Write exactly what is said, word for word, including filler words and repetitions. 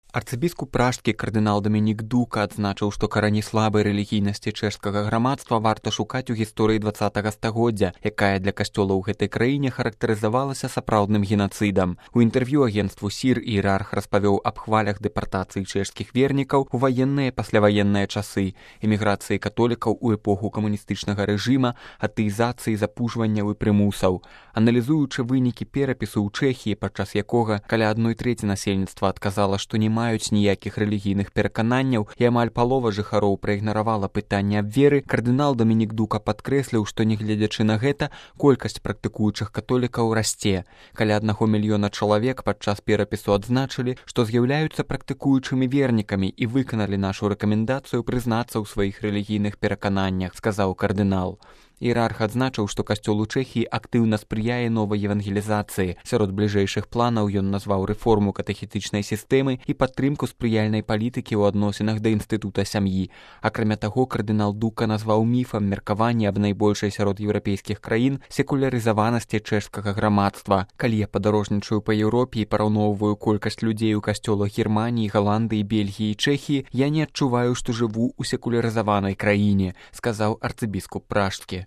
Арцыбіскуп пражскі кардынал Дамінік Дука адзначыў, што карані слабай рэлігійнасці чэшскага грамадства варта шукаць у гісторыі дваццатага стагоддзя, якая для касцёла ў гэтай краіне характарызавалася сапраўдным генацыдам. У інтэрв'ю агенцтву СІР іерарх распавёў аб хвалях дэпартацыі чэшскіх вернікаў у ваенныя і пасляваенныя часы, эміграцыі католікаў у эпоху камуністычнага рэжыма, атэізацыі, запужванняў і прымусаў. Аналізуючы вынікі перапісу ў Чэхіі, падчас якога каля адной трэці насельніцтва адказала, што не маюць ніякіх рэлігійных перакананняў і амаль палова жыхароў праігнаравала пытанне аб веры, кардынал Дамінік Дука падкрэсліў, што нягледзячы на гэта, колькасць практыкуючых католікаў расце. Каля аднаго мільёна чалавек падчас перапісу адзначылі, што з'яўляюцца практыкуючымі вернікамі і выканалі нашу рэкамендацыю прызнацца ў сваіх рэлігійных перакананнях, сказаў кардынал. Іерарх адзначыў, што касцёл у Чэхіі актыўна спрыяе новай евангелізацыі. Сярод бліжэйшых планаў ён назваў рэформу катэхетычнай сістэмы і падтрымку спрыяльнай палітыкі ў адносінах да інстытута сям'і. Акрамя таго, кардынал Дука назваў міфам меркаванне аб найбольшай сярод еўрапейскіх краін секулярызаванасці чэшскага грамадства. Калі я падарожнічаю па Еўропе і параўноўваю колькасць людзей у касцёлах Германіі, Галандыі, Бельгіі і Чэхіі, я не адчуваю, што жыву ў секулярызаванай краіне, сказаў арцыбіскуп пражскі.